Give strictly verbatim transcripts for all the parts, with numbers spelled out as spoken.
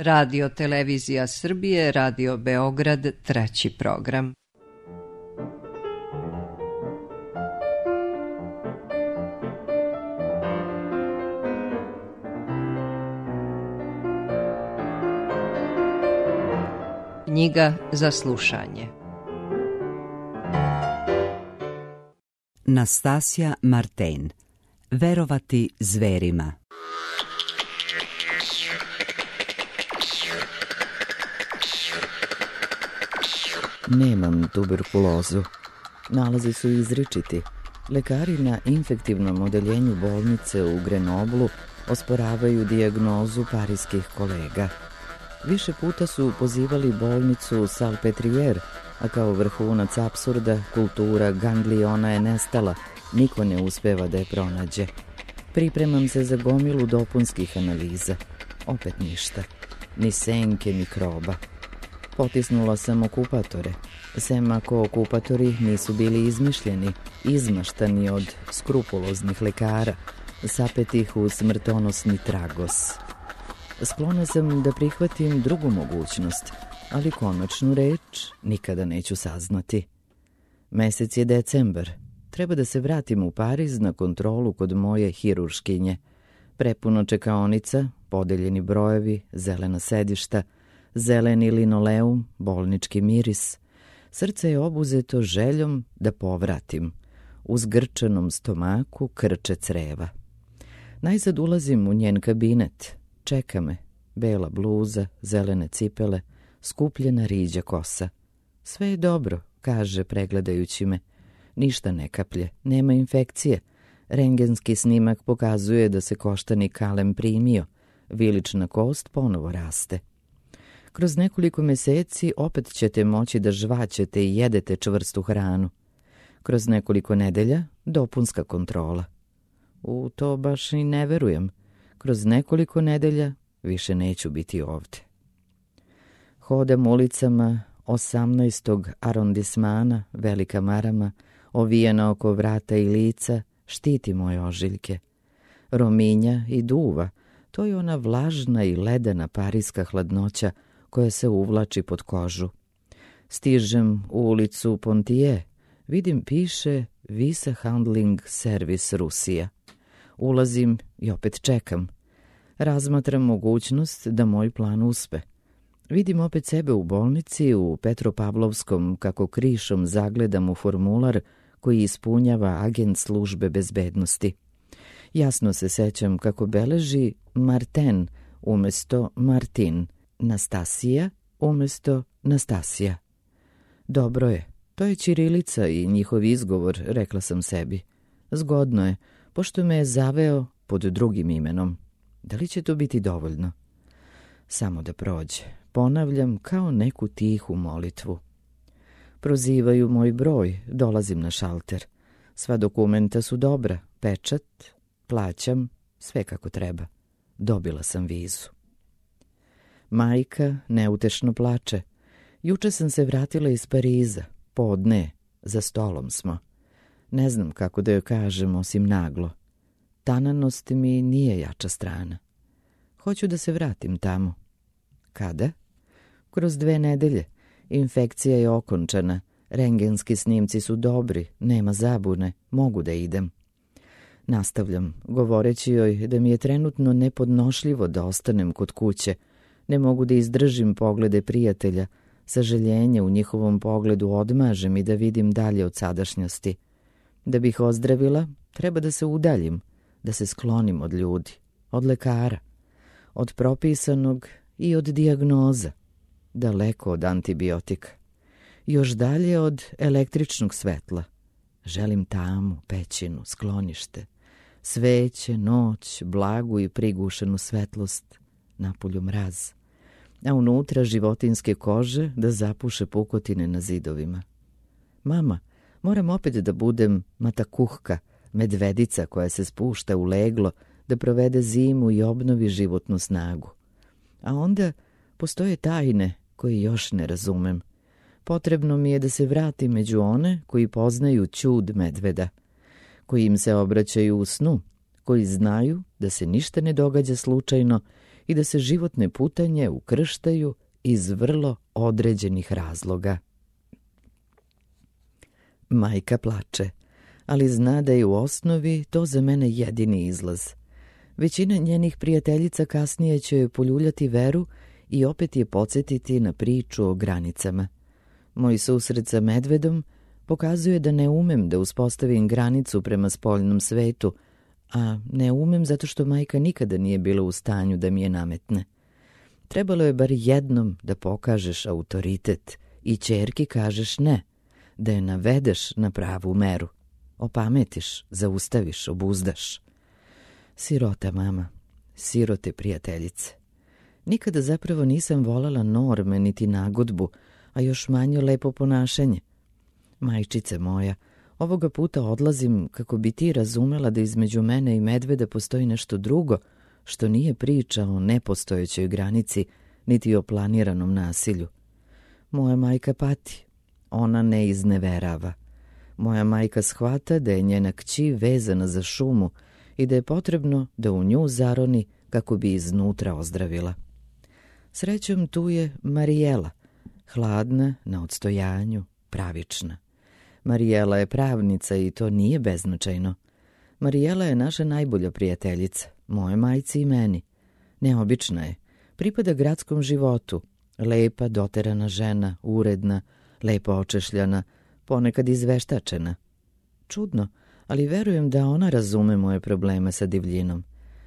Radio Televizija Srbije, Radio Beograd, treći program. Knjiga za slušanje. Nastasija Marten. Verovati zverima. Nemam tuberkulozu. Nalazi su izričiti. Lekari na infektivnom odeljenju bolnice u Grenoblu osporavaju dijagnozu parijskih kolega. Više puta su pozivali bolnicu Salpetriere, a kao vrhunac apsurda kultura gangliona je nestala, niko ne uspeva da je pronađe. Pripremam se za gomilu dopunskih analiza. Opet ništa. Ni senke mikroba. Potisnula sam okupatore. Sem ako okupatori nisu bili izmišljeni, izmaštani od skrupuloznih lekara, sapetih u smrtonosni tragos. Sklona sam da prihvatim drugu mogućnost, ali konačnu reč nikada neću saznati. Mesec je decembar. Treba da se vratim u Pariz na kontrolu kod moje hirurškinje. Prepuno čekaonica, podeljeni brojevi, zelena sedišta, zeleni linoleum, bolnički miris. Srce je obuzeto željom da povratim. U zgrčanom stomaku krče creva. Najzad ulazim u njen kabinet. Čeka me. Bela bluza, zelene cipele, skupljena riđa kosa. Sve je dobro, kaže pregledajući me. Ništa ne kaplje, nema infekcije. Rengenski snimak pokazuje da se koštani kalem primio. Vilična kost ponovo raste. Kroz nekoliko meseci opet ćete moći da žvaćete i jedete čvrstu hranu. Kroz nekoliko nedelja dopunska kontrola. U to baš i ne verujem. Kroz nekoliko nedelja više neću biti ovde. Hodam ulicama osamnaestog arondismana, velika marama, ovijena oko vrata i lica, štiti moje ožiljke. Rominja i duva, to je ona vlažna i ledena parijska hladnoća koja se uvlači pod kožu. Stižem u ulicu Pontije, vidim piše Visa Handling Service Rusija. Ulazim i opet čekam. Razmatram mogućnost da moj plan uspe. Vidim opet sebe u bolnici u Petropavlovskom kako krišom zagledam u formular koji ispunjava agent službe bezbednosti. Jasno se sećam kako beleži Marten umesto Martin, Nastasija umesto Nastasija. Dobro je, to je ćirilica i njihov izgovor, rekla sam sebi. Zgodno je, pošto me je zaveo pod drugim imenom. Da li će to biti dovoljno? Samo da prođe. Ponavljam kao neku tihu molitvu. Prozivaju moj broj, dolazim na šalter. Sva dokumenta su dobra, pečat, plaćam, sve kako treba. Dobila sam vizu. Majka neutešno plače. Juče sam se vratila iz Pariza, podne, za stolom smo. Ne znam kako da joj kažem osim naglo. Tananost mi nije jača strana. Hoću da se vratim tamo. Kada? Kroz dve nedelje. Infekcija je okončana. Rengenski snimci su dobri, nema zabune, mogu da idem. Nastavljam, govoreći joj da mi je trenutno nepodnošljivo da ostanem kod kuće. Ne mogu da izdržim poglede prijatelja. Saželjenje u njihovom pogledu odmažem i da vidim dalje od sadašnjosti. Da bih ozdravila, treba da se udaljim, da se sklonim od ljudi, od lekara, od propisanog i od dijagnoza, daleko od antibiotika, još dalje od električnog svetla. Želim tamu, pećinu, sklonište, sveće, noć, blagu i prigušenu svetlost, napolju mraz, a unutra životinske kože da zapuše pukotine na zidovima. Mama, moram opet da budem matakuhka, medvedica koja se spušta u leglo da provede zimu i obnovi životnu snagu. A onda postoje tajne koje još ne razumem. Potrebno mi je da se vratim među one koji poznaju ćud medveda, koji im se obraćaju u snu, koji znaju da se ništa ne događa slučajno i da se životne putanje ukrštaju iz vrlo određenih razloga. Majka plače, ali zna da je u osnovi to za mene jedini izlaz. Većina njenih prijateljica kasnije će joj poljuljati veru i opet je podsjetiti na priču o granicama. Moj susret sa medvedom pokazuje da ne umem da uspostavim granicu prema spoljnom svetu, a ne umem zato što majka nikada nije bila u stanju da mi je nametne. Trebalo je bar jednom da pokažeš autoritet i ćerki kažeš ne, da je navedeš na pravu meru. Opametiš, zaustaviš, obuzdaš. Sirota mama, sirote prijateljice. Nikada zapravo nisam voljela norme niti nagodbu, a još manje lepo ponašanje. Majčice moja, ovoga puta odlazim kako bi ti razumela da između mene i medveda postoji nešto drugo, što nije priča o nepostojećoj granici, niti o planiranom nasilju. Moja majka pati, ona ne izneverava. Moja majka shvata da je njena kći vezana za šumu i da je potrebno da u nju zaroni kako bi iznutra ozdravila. Srećom tu je Marijela, hladna, na odstojanju, pravična. Marijela je pravnica i to nije beznačajno. Marijela je naša najbolja prijateljica, moje majci i meni. Neobična je, pripada gradskom životu, lepa, doterana žena, uredna, lepo očešljana, ponekad izveštačena. Čudno, ali verujem da ona razume moje probleme sa divljinom.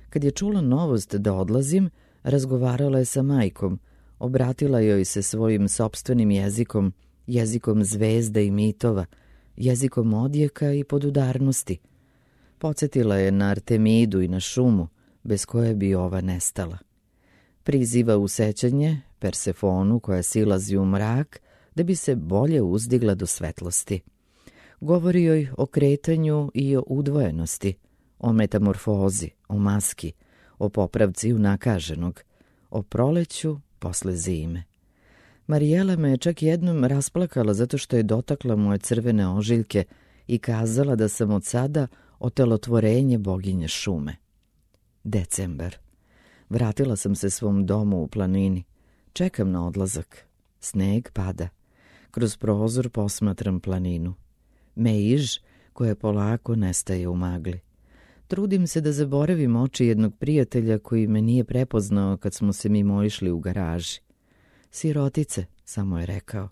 Kad je čula novost da odlazim, razgovarala je sa majkom, obratila joj se svojim sopstvenim jezikom, jezikom zvezda i mitova, jezikom odjeka i podudarnosti. Podsjetila je na Artemidu i na šumu, bez koje bi ova nestala. Priziva u sećanje Persefonu koja silazi u mrak da bi se bolje uzdigla do svetlosti. Govori joj o kretanju i o udvojenosti, o metamorfozi, o maski, o popravci unakaženog, o proleću posle zime. Marijela me je čak jednom rasplakala zato što je dotakla moje crvene ožiljke i kazala da sam od sada otelotvorenje boginje šume. Decembar. Vratila sam se svom domu u planini. Čekam na odlazak. Sneg pada. Kroz prozor posmatram planinu. Meiž koja polako nestaje u magli. Trudim se da zaboravim oči jednog prijatelja koji me nije prepoznao kad smo se mimo išli u garaži. Sirotice, samo je rekao.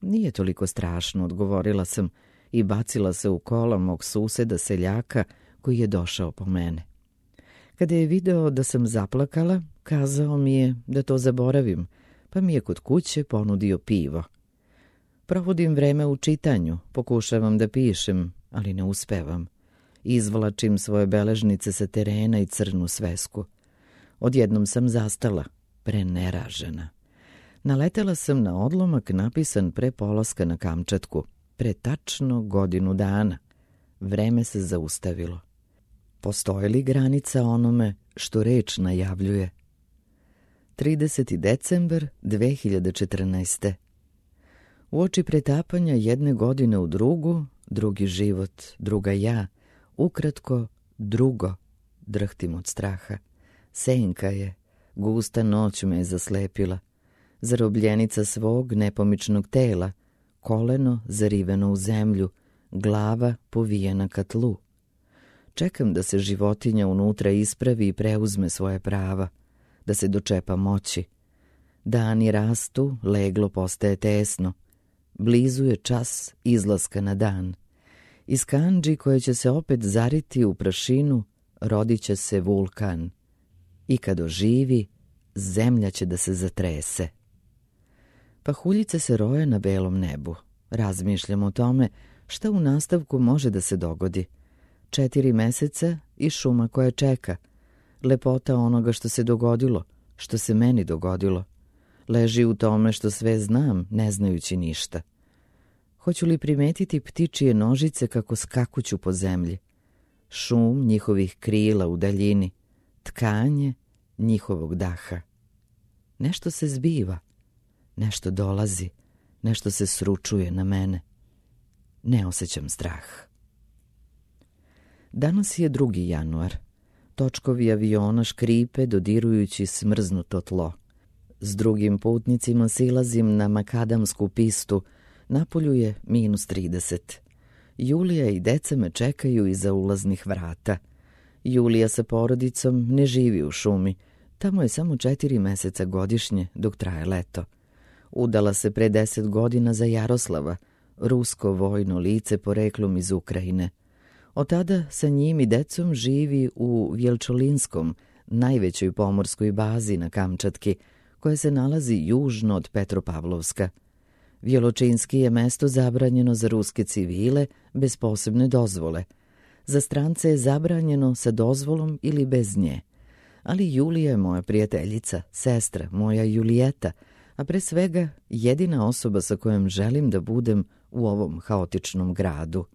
Nije toliko strašno, odgovorila sam i bacila se u kola mog suseda seljaka koji je došao po mene. Kada je video da sam zaplakala, kazao mi je da to zaboravim, pa mi je kod kuće ponudio pivo. Provodim vreme u čitanju, pokušavam da pišem, ali ne uspevam. Izvlačim svoje beležnice sa terena i crnu svesku. Odjednom sam zastala, preneražena. Naletela sam na odlomak napisan pre polaska na Kamčatku, pre tačno godinu dana. Vreme se zaustavilo. Postoji li granica onome što reč najavljuje? trideseti decembar dve hiljade četrnaeste. Uoči pretapanja jedne godine u drugu, drugi život, druga ja, ukratko drugo, drhtim od straha. Senka je, gusta noć me je zaslepila. Zarobljenica svog nepomičnog tela, koleno zariveno u zemlju, glava povijena ka tlu. Čekam da se životinja unutra ispravi i preuzme svoje prava, da se dočepa moći. Dani rastu, leglo postaje tesno. Blizu je čas izlaska na dan. Iz kandži koje će se opet zariti u prašinu, rodit će se vulkan. I kad oživi, zemlja će da se zatrese. Pahuljice se roje na belom nebu. Razmišljam o tome šta u nastavku može da se dogodi. Četiri meseca i šuma koja čeka. Lepota onoga što se dogodilo, što se meni dogodilo. Leži u tome što sve znam, ne znajući ništa. Hoću li primetiti ptičije nožice kako skakuću po zemlji? Šum njihovih krila u daljini, tkanje njihovog daha. Nešto se zbiva, nešto dolazi, nešto se sručuje na mene. Ne osjećam strah. Danas je drugi januar. Točkovi aviona škripe dodirujući smrznuto tlo. S drugim putnicima silazim na makadamsku pistu. Napolju je minus trideset. Julija i deca me čekaju iza ulaznih vrata. Julija sa porodicom ne živi u šumi. Tamo je samo četiri meseca godišnje dok traje leto. Udala se pre deset godina za Jaroslava, rusko vojno lice poreklom iz Ukrajine. Od tada sa njim i decom živi u Vjelčolinskom, najvećoj pomorskoj bazi na Kamčatki, koja se nalazi južno od Petropavlovska. Vjeločinski je mesto zabranjeno za ruske civile bez posebne dozvole. Za strance je zabranjeno sa dozvolom ili bez nje. Ali Julija je moja prijateljica, sestra, moja Julijeta, a pre svega jedina osoba sa kojom želim da budem u ovom haotičnom gradu.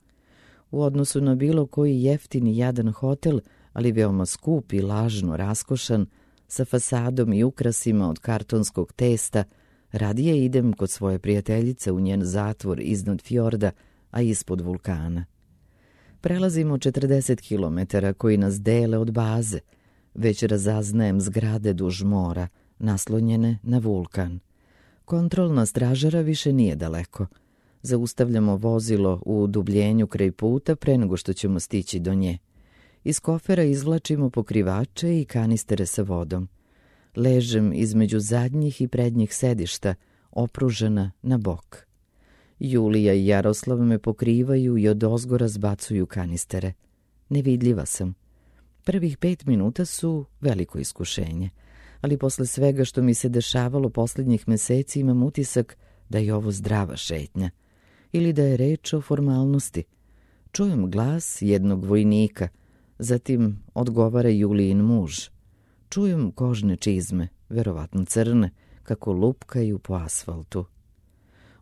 U odnosu na bilo koji jeftin i jadan hotel, ali veoma skup i lažno raskošan, sa fasadom i ukrasima od kartonskog testa, radije idem kod svoje prijateljice u njen zatvor iznad fjorda, a ispod vulkana. Prelazimo četrdeset kilometara koji nas dele od baze. Već razaznajem zgrade duž mora, naslonjene na vulkan. Kontrolna stražara više nije daleko. Zaustavljamo vozilo u dubljenju kraj puta pre nego što ćemo stići do nje. Iz kofera izvlačimo pokrivače i kanistere sa vodom. Ležem između zadnjih i prednjih sedišta, opružena na bok. Julija i Jaroslav me pokrivaju i odozgora zbacuju kanistere. Nevidljiva sam. Prvih pet minuta su veliko iskušenje, ali posle svega što mi se dešavalo posljednjih meseci imam utisak da je ovo zdrava šetnja ili da je reč o formalnosti. Čujem glas jednog vojnika, zatim odgovara Julijin muž. Čujem kožne čizme, verovatno crne, kako lupkaju po asfaltu.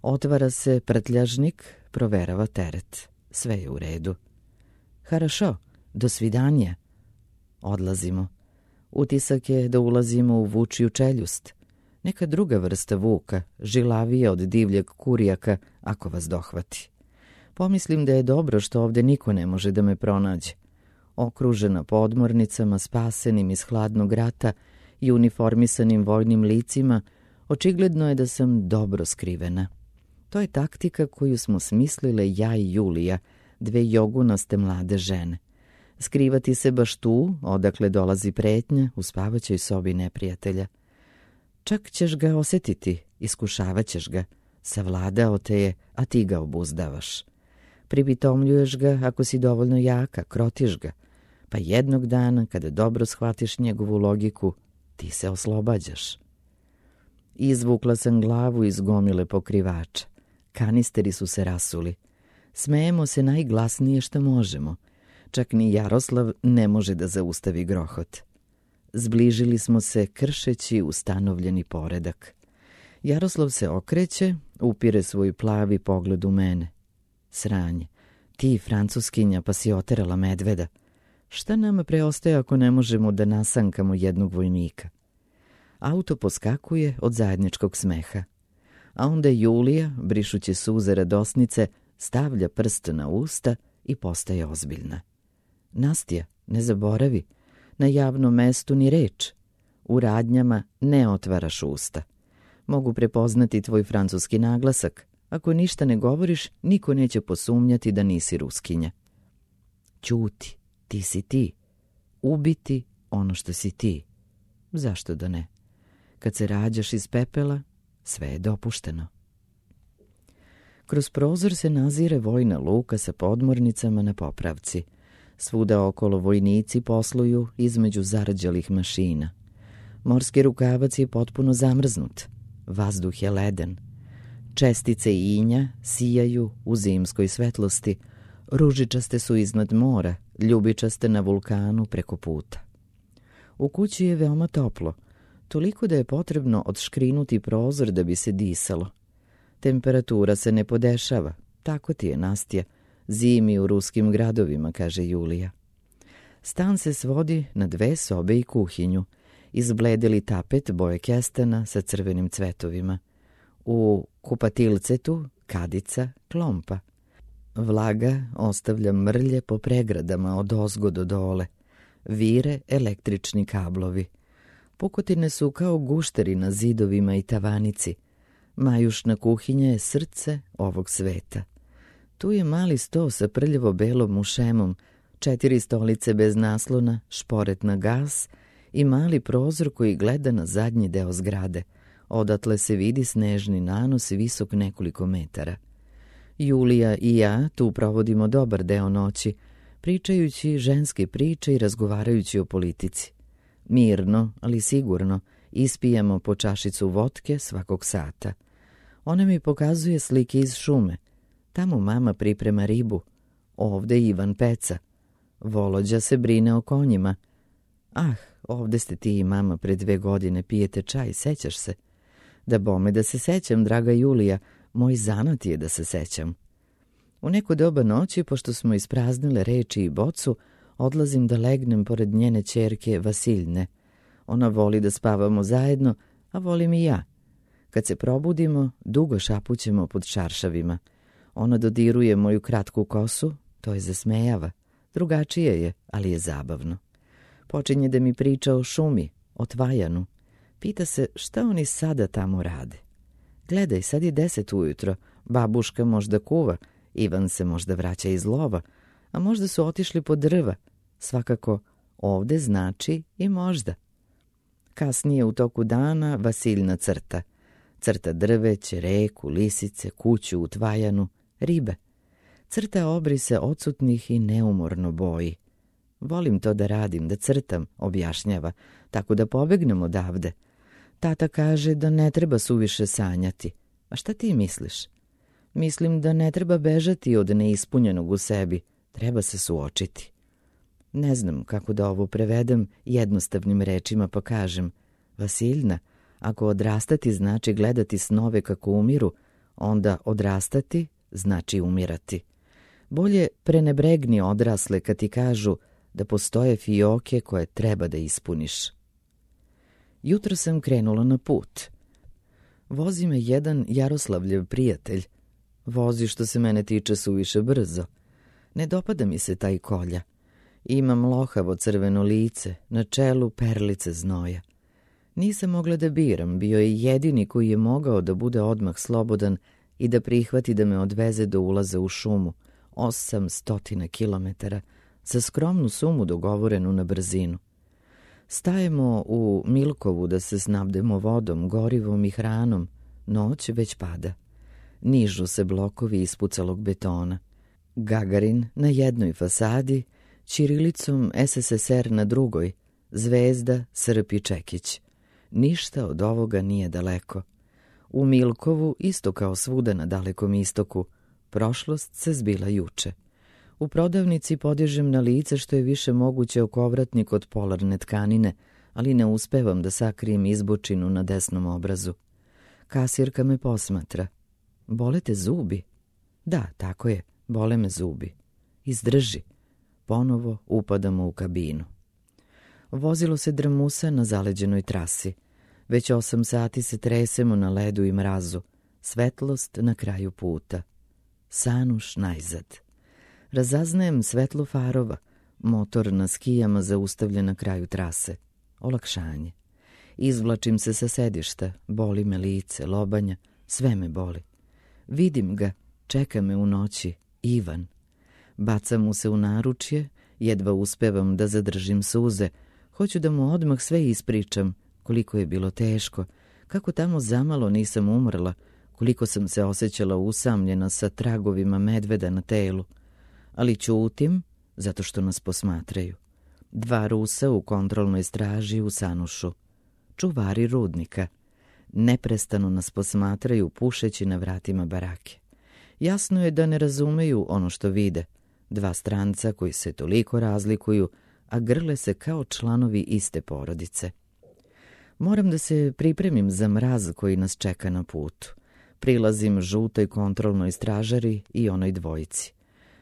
Otvara se prtljažnik, proverava teret. Sve je u redu. Harašo, do svidanja. Odlazimo. Utisak je da ulazimo u vučiju čeljust. Neka druga vrsta vuka, žilavija od divljeg kurijaka, ako vas dohvati. Pomislim da je dobro što ovde niko ne može da me pronađe. Okružena podmornicama, spasenim iz hladnog rata i uniformisanim vojnim licima, očigledno je da sam dobro skrivena. To je taktika koju smo smislile ja i Julija, dve jogunaste mlade žene. Skrivati se baš tu, odakle dolazi pretnja, u spavaćoj sobi neprijatelja. Čak ćeš ga osetiti, iskušavat ćeš ga. Savladao te je, a ti ga obuzdavaš. Pripitomljuješ ga ako si dovoljno jaka, krotiš ga. Pa jednog dana, kada dobro shvatiš njegovu logiku, ti se oslobađaš. Izvukla sam glavu iz gomile pokrivača. Kanisteri su se rasuli. Smejemo se najglasnije što možemo. Čak ni Jaroslav ne može da zaustavi grohot. Zbližili smo se kršeći ustanovljeni poredak. Jaroslav se okreće, upire svoj plavi pogled u mene. Sranje, ti francuskinja pa si oterala medveda. Šta nama preostaje ako ne možemo da nasankamo jednog vojnika? Auto poskakuje od zajedničkog smeha. A onda Julija, brišući suze radosnice, stavlja prst na usta i postaje ozbiljna. Nastja, ne zaboravi, na javnom mestu ni reč. U radnjama ne otvaraš usta. Mogu prepoznati tvoj francuski naglasak. Ako ništa ne govoriš, niko neće posumnjati da nisi Ruskinja. Ćuti, ti si ti. Ubiti ono što si ti. Zašto da ne? Kad se rađaš iz pepela, sve je dopušteno. Kroz prozor se nazire vojna luka sa podmornicama na popravci. Svuda okolo vojnici posluju između zarđalih mašina. Morski rukavac je potpuno zamrznut. Vazduh je leden. Čestice inja sijaju u zimskoj svetlosti. Ružičaste su iznad mora, ljubičaste na vulkanu preko puta. U kući je veoma toplo, toliko da je potrebno odškrinuti prozor da bi se disalo. Temperatura se ne podešava, tako ti je, Nastja, zimi u ruskim gradovima, kaže Julija. Stan se svodi na dve sobe i kuhinju, izbledeli tapet boje kestana sa crvenim cvetovima. U kupatilcetu kadica, klompa. Vlaga ostavlja mrlje po pregradama od ozgo do dole. vire električni kablovi. Pukotine su kao gušteri na zidovima i tavanici. Majušna kuhinja je srce ovog sveta. Tu je mali sto sa prljavo belom mušemom, četiri stolice bez naslona, šporet na gas i mali prozor koji gleda na zadnji deo zgrade. Odatle se vidi snežni nanos visok nekoliko metara. Julija i ja tu provodimo dobar deo noći, pričajući ženske priče i razgovarajući o politici. Mirno, ali sigurno, ispijamo po čašicu votke svakog sata. Ona mi pokazuje slike iz šume. Tamo mama priprema ribu. Ovde Ivan peca. Volođa se brine o konjima. Ah, ovde ste ti i mama pre dve godine, pijete čaj, sećaš se? Da bome da se sećam, draga Julija, moj zanat je da se sećam. U neko doba noći, pošto smo ispraznile reči i bocu, odlazim da legnem pored njene ćerke Vasiljne. Ona voli da spavamo zajedno, a volim i ja. Kad se probudimo, dugo šapućemo pod čaršavima. Ona dodiruje moju kratku kosu, to je zasmejava. Drugačije je, ali je zabavno. Počinje da mi priča o šumi, o Tvajanu. Pita se šta oni sada tamo rade. Gledaj, sad je deset ujutro, babuška možda kuva, Ivan se možda vraća iz lova, a možda su otišli po drva. Svakako, ovde znači i možda. Kasnije u toku dana Vasiljna crta. Crta drveće, reku, lisice, kuću u Tvajanu, ribe. Crta obrise odsutnih i neumorno boji. Volim to da radim, da crtam, objašnjava, tako da pobegnem odavde. Tata kaže da ne treba suviše sanjati. A šta ti misliš? Mislim da ne treba bežati od neispunjenog u sebi, treba se suočiti. Ne znam kako da ovo prevedem jednostavnim rečima, pa kažem: Vasiljna, ako odrastati znači gledati snove kako umiru, onda odrastati znači umirati. Bolje prenebregni odrasle kad ti kažu da postoje fioke koje treba da ispuniš. Jutro sam krenula na put. Vozi me jedan Jaroslavljev prijatelj. Vozi što se mene tiče suviše brzo. Ne dopada mi se taj kolja. Imam lohavo crveno lice, na čelu perlice znoja. Nisam mogla da biram, bio je jedini koji je mogao da bude odmah slobodan i da prihvati da me odveze do ulaza u šumu, osam stotina kilometara, za skromnu sumu dogovorenu na brzinu. Stajemo u Milkovu da se snabdemo vodom, gorivom i hranom. Noć već pada. Nižu se blokovi ispucalog betona. Gagarin na jednoj fasadi, ćirilicom S S S R na drugoj, zvezda, srp i čekić. Ništa od ovoga nije daleko. U Milkovu, isto kao svuda na dalekom istoku, prošlost se zbila juče. U prodavnici podižem na lice što je više moguće okovratnik od polarne tkanine, ali ne uspevam da sakrijem izbočinu na desnom obrazu. Kasirka me posmatra. Bole te zubi? Da, tako je, bole me zubi. Izdrži. Ponovo upadamo u kabinu. Vozilo se drmusa na zaleđenoj trasi. Već osam sati se tresemo na ledu i mrazu. Svetlost na kraju puta. Sanuš najzad. Razaznajem svetlo farova. Motor na skijama zaustavljen na kraju trase. Olakšanje. Izvlačim se sa sedišta. Boli me lice, lobanja. Sve me boli. Vidim ga. Čeka me u noći. Ivan. Bacam mu se u naručje. Jedva uspevam da zadržim suze. Hoću da mu odmah sve ispričam. Koliko je bilo teško. Kako tamo zamalo nisam umrla. Koliko sam se osjećala usamljena sa tragovima medveda na telu. Ali ćutim, zato što nas posmatraju. Dva Rusa u kontrolnoj straži u Sanušu. Čuvari rudnika. Neprestano nas posmatraju pušeći na vratima barake. Jasno je da ne razumeju ono što vide. Dva stranca koji se toliko razlikuju, a grle se kao članovi iste porodice. Moram da se pripremim za mraz koji nas čeka na putu. Prilazim žutoj kontrolnoj stražari i onoj dvojici.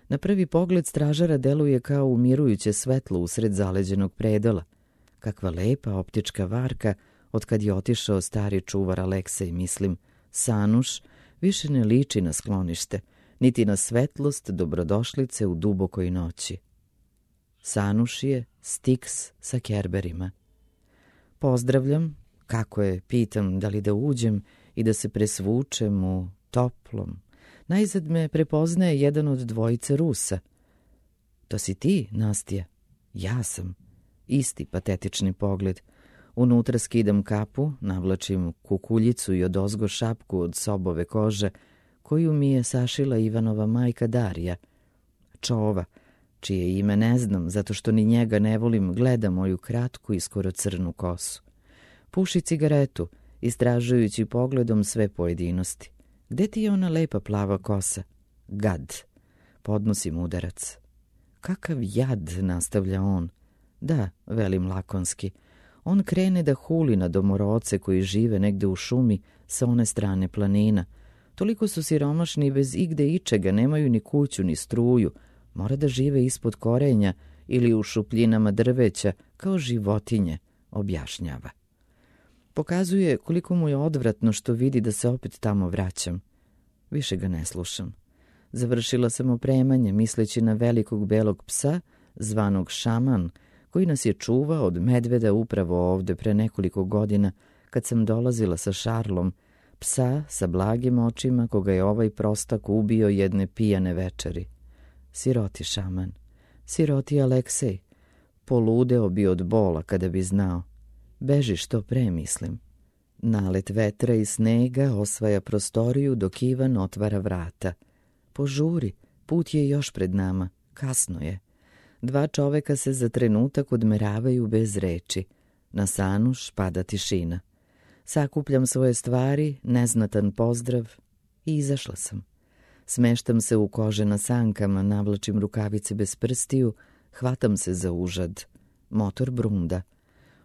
Na prvi pogled stražara deluje kao umirujuće svetlo usred zaleđenog predela. Kakva lepa optička varka od kad je otišao stari čuvar Aleksej, mislim. Sanuš više ne liči na sklonište, niti na svetlost dobrodošlice u dubokoj noći. Sanušije, Stiks sa Kerberima. Pozdravljam, kako je, pitam da li da uđem i da se presvučem u toplom. Najzad me prepoznaje jedan od dvojice Rusa. To si ti, Nastija? Ja sam. Isti patetični pogled. Unutra skidam kapu, navlačim kukuljicu i odozgo šapku od sobove kože, koju mi je sašila Ivanova majka Darija. Čova, čije ime ne znam, zato što ni njega ne volim, gleda moju kratku i skoro crnu kosu. Puši cigaretu, istražujući pogledom sve pojedinosti. Gde ti je ona lepa plava kosa? Gad. Podnosim udarac. Kakav jad, nastavlja on. Da, velim lakonski. On krene da huli na domoroce koji žive negde u šumi sa one strane planina. Toliko su siromašni bez igde ičega, nemaju ni kuću ni struju. Mora da žive ispod korenja ili u šupljinama drveća kao životinje, objašnjava. Pokazuje koliko mu je odvratno što vidi da se opet tamo vraćam. Više ga ne slušam. Završila sam opremanje misleći na velikog belog psa, zvanog Šaman, koji nas je čuvao od medveda upravo ovde pre nekoliko godina kad sam dolazila sa Šarlom, psa sa blagim očima koga je ovaj prostak ubio jedne pijane večeri. Siroti Šaman, siroti Aleksej, poludeo bi od bola kada bi znao. Beži što pre, mislim. Nalet vetra i snega osvaja prostoriju dok Ivan otvara vrata. Požuri, put je još pred nama, kasno je. Dva čoveka se za trenutak odmeravaju bez reči. Na Sanuš pada tišina. Sakupljam svoje stvari, neznatan pozdrav i izašla sam. Smeštam se u kože na sankama, navlačim rukavice bez prstiju, hvatam se za užad. Motor brunda.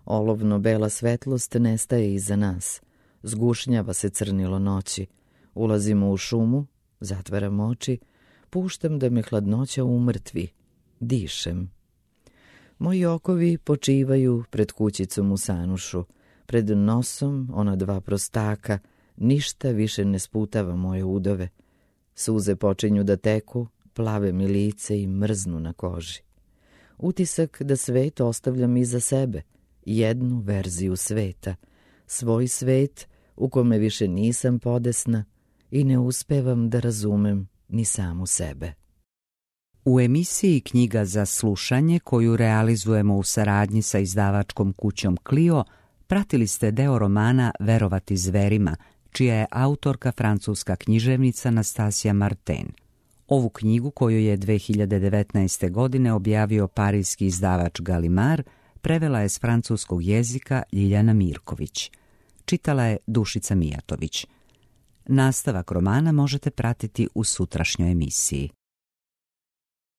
Olovno-bela svetlost nestaje iza nas. Zgušnjava se crnilo noći. Ulazimo u šumu, zatvaram oči, puštam da me hladnoća umrtvi. Dišem. Moji okovi počivaju pred kućicom u Sanušu. Pred nosom ona dva prostaka, ništa više ne sputava moje udove. Suze počinju da teku, plave mi lice i mrznu na koži. Utisak da svet ostavljam iza sebe, jednu verziju sveta, svoj svet u kome više nisam podesna i ne uspevam da razumem ni samu sebe. U emisiji Knjiga za slušanje, koju realizujemo u saradnji sa izdavačkom kućom Clio, pratili ste deo romana Verovati zverima, čija je autorka francuska književnica Nastasija Martin. Ovu knjigu, koju je dve hiljade devetnaeste. godine objavio parijski izdavač Gallimard, prevela je s francuskog jezika Ljiljana Mirković. Čitala je Dušica Mijatović. Nastavak romana možete pratiti u sutrašnjoj emisiji.